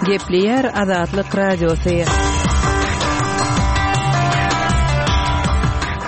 Gepleýär Azatlyk Radiosy.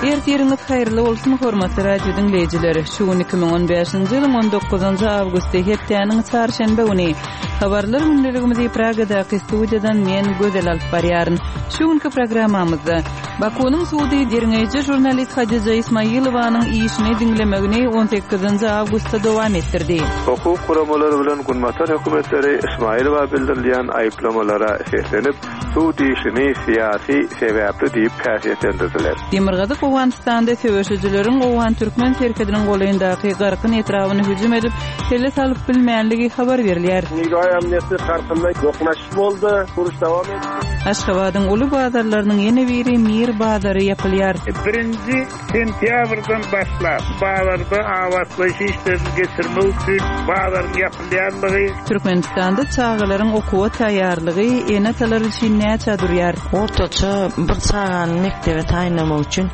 Ertiriňiz haýyrly bolsun, hormatly radio diňleýjiler! Şu gün 2015-nji ýylyň 19-njy awgusty, hepdäniň çarşenbe güni. Habarlar gündeligimizi Pragadaky studiýadan men Gözel alyp barýaryn. Şu günki programmamyzda Bakunyň sudy derňeýji žurnalist Hadija Ismailowanyň işini diňlemegini on sekizinji awgustda dowam etdirdi. Hukuk guramalary bilen günbatar hökümetleri Ismailowa bildirilýän aýyplamalara seslenip, sud işini syýasy sebäpli diýip häsiýetlendirdiler. Demirgazyk Owganystanda söweşijileriň owgan-türkmen serhediniň golaýyndaky Garkyn etrabyna hüjüm edip, pele salyp bilmänligi habar berilýär. Nigaý amniýeti Garkynda dokunasy boldy, uruş dowam etdi. Aşgabadyň uly bazarlarynyň ýene biri Mir bazary ýapylýar. Birinji sentýabrdan başlap, bazarda abatlaýyş işlerini geçirmek üçin bazaryň ýapylýandygy. Türkmenistanda çagalaryň okuwa taýýarlygy ene-atalar üçin näçä durýar? Ortaça bir çagany mekdebe taýynlamak üçin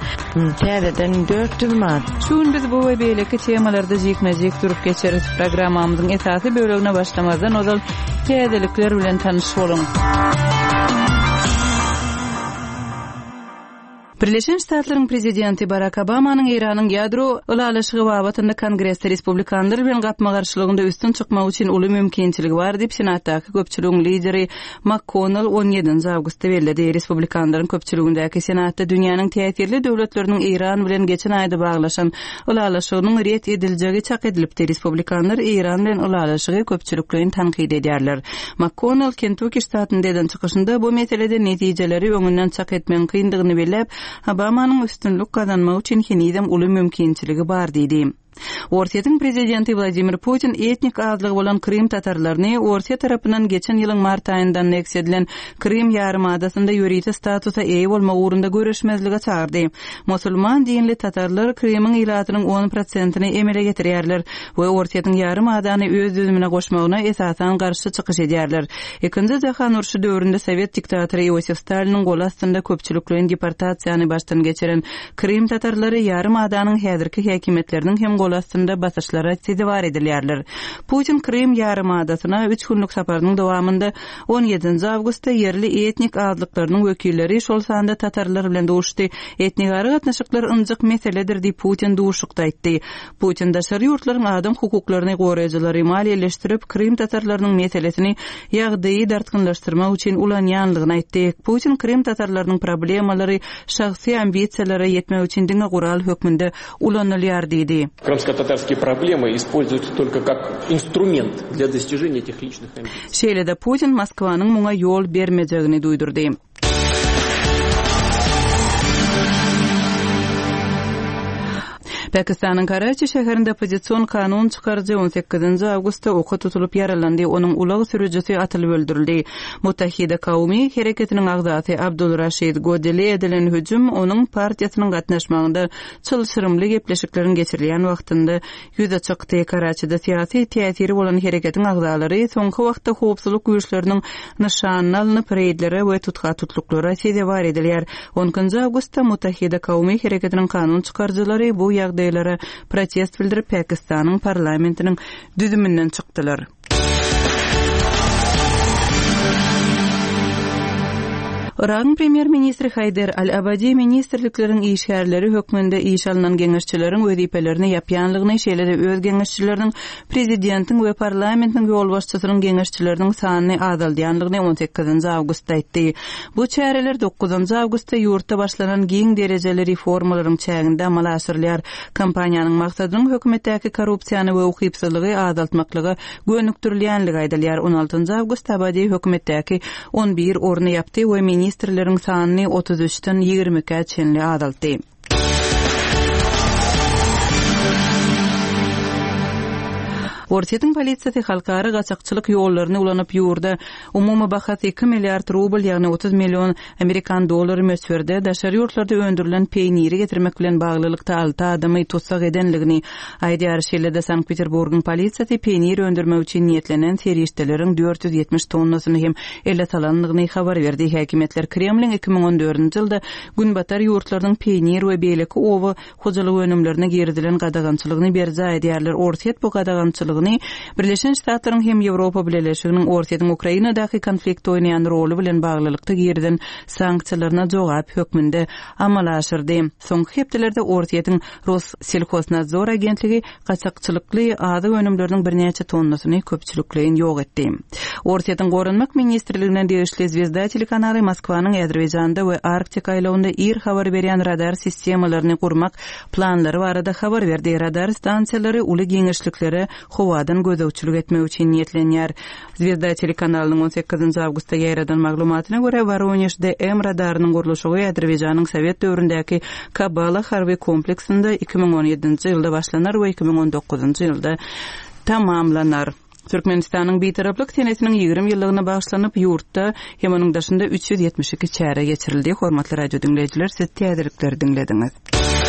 täzeden 400 manat. Şu gün biz bu we beýleki temalarda jikme-jik durup geçeris. Programmamyzyň esasy bölegine başlamazdan ozal täzelikler bilen tanyş boluň. Birleşen Ştatlaryň prezidenti Barak Obamanyň Eýranyň ýadro ylalaşygy babatynda Kongresde respublikanlar bilen gapma-garşylygynda üstün çykmak üçin uly mümkinçiligi bar diýip, Senatdaky köpçüligiň lideri MakKonnel on ýedinji awgustda belledi. Respublikanlaryň köpçüligindäki Senatda dünýäniň täsirli döwletleriniň Eýran bilen geçen aýda baglaşan ylalaşygynyň ret ediljegi çak edilipdi. Respublikanlar Eýran bilen ylalaşygy köpçülikleýin tankyt edýärler. MakKonnel Kentukki ştatynda eden çykyşynda bu meselede netijeleri öňünden çak etmegiň kyndygyny belläp, Obamanyň üstünlik gazanmagy üçin henizem uly mümkinçiligi bar diýdi. Orsýetiň prezidenti Wladimir Putin etnik azlygy bolan krym tatarlaryny Orsýet tarapyndan geçen ýylyň mart aýynda anneksiýa edilen Krym ýarymadasynda ýörite statusa eýe bolmak ugrunda göreşmezlige çagyrdy. Musulman dinli tatarlar Krymyň ilatynyň on prosentini emele getirýärler we Orsýetiň ýarym adany öz düzümine goşmagyna esasan garşy çykyş edýärler. Ikinji jahan urşy döwründe sowet diktatory Iosif Staliniň goly astynda köpçülikleýin deportasiýany başdan geçiren Krym tatarlary ýarym adanyň häzirki häkimiýetleriniň hem goly astynda basyşlara sezewar edilýärler. Putin Krym ýarym adasyna üç günlük saparynyň dowamynda On ýedinji awgustda ýerli etnik azlyklarynyň wekilleri, şol sanda tatarlar bilen duşdy. Etnigara gatnaşyklar ynjyk meseledir diýip, Putin duşuşykda aýtdy. Putin daşary ýurtlaryň adam hukuklaryny goraýjylary maliýeleşdirip, krym tatarlarynyň meselesini ýagdaýy dartgynlaşdyrmak üçin ulanýanlygyny aýtdy. Putin krym tatarlarynyň problemalary şahsy ambisiýalara ýetmek üçin diňe gural hökmünde ulanylýar diýdi. Krymsko-tatarskiye problemy используются только как instrument для достижения этих личных амбиций. Şeýle-de Putin Moskwanyň muňa ýol bermejegini duýdurdy. Pakistanyň Karaçi şäherinde oppozision kanun çykaryjy on sekizinji awgustda oka tutulyp ýaralandy, onuň ulag sürüjisi atylyp öldürildi. Muttahida Kaumi hereketiniň agzasy Abdul Raşid Godile edilen hüjüm onuň partiýasynyň gatnaşmagynda çylşyrymly gepleşikleriň geçirilýän wagtynda Ýüze çykdy. Karaçide syýasy täsiri bolan hereketiň agzalary soňky wagtda howpsuzlyk güýçleriniň nyşanyna alnyp, reýdlere we tutha-tutluklara sezewar edilýär. On ikinji awgustda Muttahida Kaumi hereketiniň kanun çykaryjylary bu ýagdaýlara protest bildirip, Pakistanyň parlamentiniň düzüminden çykdylar. Yragyň premýer-ministri Haýder al-Abadi ministrlikleriň işgärleri hökmünde işe alnan geňeşçileriň wezipelerini ýapýanlygyny, şeýle-de öz geňeşçileriniň, prezidentiň we parlamentiň ýolbaşçysynyň geňeşçileriniň sanyny azaldýanlygyny on sekizinji awgustda aýtdy. Bu çäreler dokuzynjy awgustda ýurtda başlanan giň derejeli reformalaryň çäginde amala aşyrylýar. Kampaniýanyň maksadynyň hökümetdäki korrupsiýany we ukypsyzlygy azaltmaklyga gönükdirilýänligi aýdylýar. On altynjy awgustda Abadi hökümetdäki on bir orny ýapdy we ministrleriň sanyny 33-den 22-ä çenli azaltdy. Orsýetiň polisiýasy halkara gaçakçylyk ýollaryny ulanyp ýurda umumy bahasy iki milliard rubl, ýagny 30 million Amerikan dollary möçberde daşary ýurtlarda öndürilen peýniri getirmek bilen baglylykda alty adamy tussag edenligini aýdýar. Şeýle-de Sankt-Peterburgyň polisiýasy peýnir öndürmek üçin niýetlenen serişdeleriň 470 tonnasyny hem ele salandygyny habar berdi. Häkimiýetler Kremliň 2014-nji ýylda Günbatar ýurtlarynyň peýnir we beýleki oba hojalyk önümlerine girizilen gadagançylygyny berjaý edýärler. Orsýet bu gadagançylygy. ýykyldygyny Birleşen Ştatlaryň hem Ýewropa Bileleşiginiň Orsýetiň Ukrainadaky konfliktde oýnaýan roly bilen baglylykda girizen sanksiýalaryna jogap hökmünde amala aşyrdy. Soňky hepdelerde Orsýetiň Rosselhoznadzor agentligi gaçakçylykly azyk önümleriniň birnäçe tonnasyny köpçülikleýin ýok etdi. Orsýetiň Goranmak ministrligine degişli Zwezda telekanaly Moskwanyň Azerbaýjanda we Arktika aýlawynda ir habar berýän radar sistemalaryny gurmak planlary barada habar berdi. Radar stansiýalary uly giňişliklere howadan gözegçilik etmek üçin niýetlenýär. Zwezda telekanalynyň on sekizinji awgustda ýaýradan maglumatyna görä, Woronež DM radarynyň gurluşygy Azerbaýjanyň sowet döwründäki Kabala harby kompleksinde 2017-nji ýylda başlanar we 2019-njy ýylda tamamlanar. Türkmenistanyň Bitaraplyk senesiniň 20 ýyllygyna bagyşlanyp, ýurtda hem onuň daşynda 372 çäre geçirildi. Hormatly radio diňleýjiler, siz täzelikleri diňlediňiz.